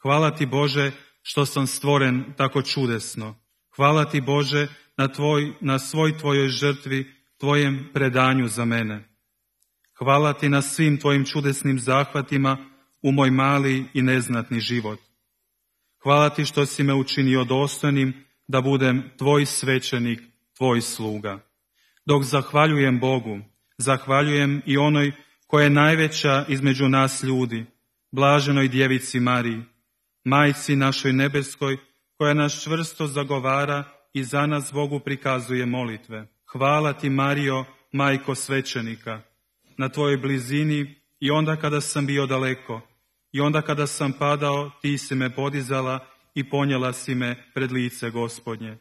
Hvala ti Bože što sam stvoren tako čudesno. Hvala ti Bože na svoj tvojoj žrtvi, tvojem predanju za mene. Hvala ti na svim tvojim čudesnim zahvatima u moj mali i neznatni život. Hvala ti što si me učinio dostojnim da budem tvoj svećenik, tvoj sluga. Dok zahvaljujem Bogu, zahvaljujem i onoj koja je najveća između nas ljudi, blaženoj djevici Mariji, majci našoj nebeskoj, koja nas čvrsto zagovara i za nas Bogu prikazuje molitve. Hvala ti, Marijo, majko svećenika, na tvojoj blizini i onda kada sam bio daleko, i onda kada sam padao, ti si me podizala i ponijela si me pred lice Gospodnje.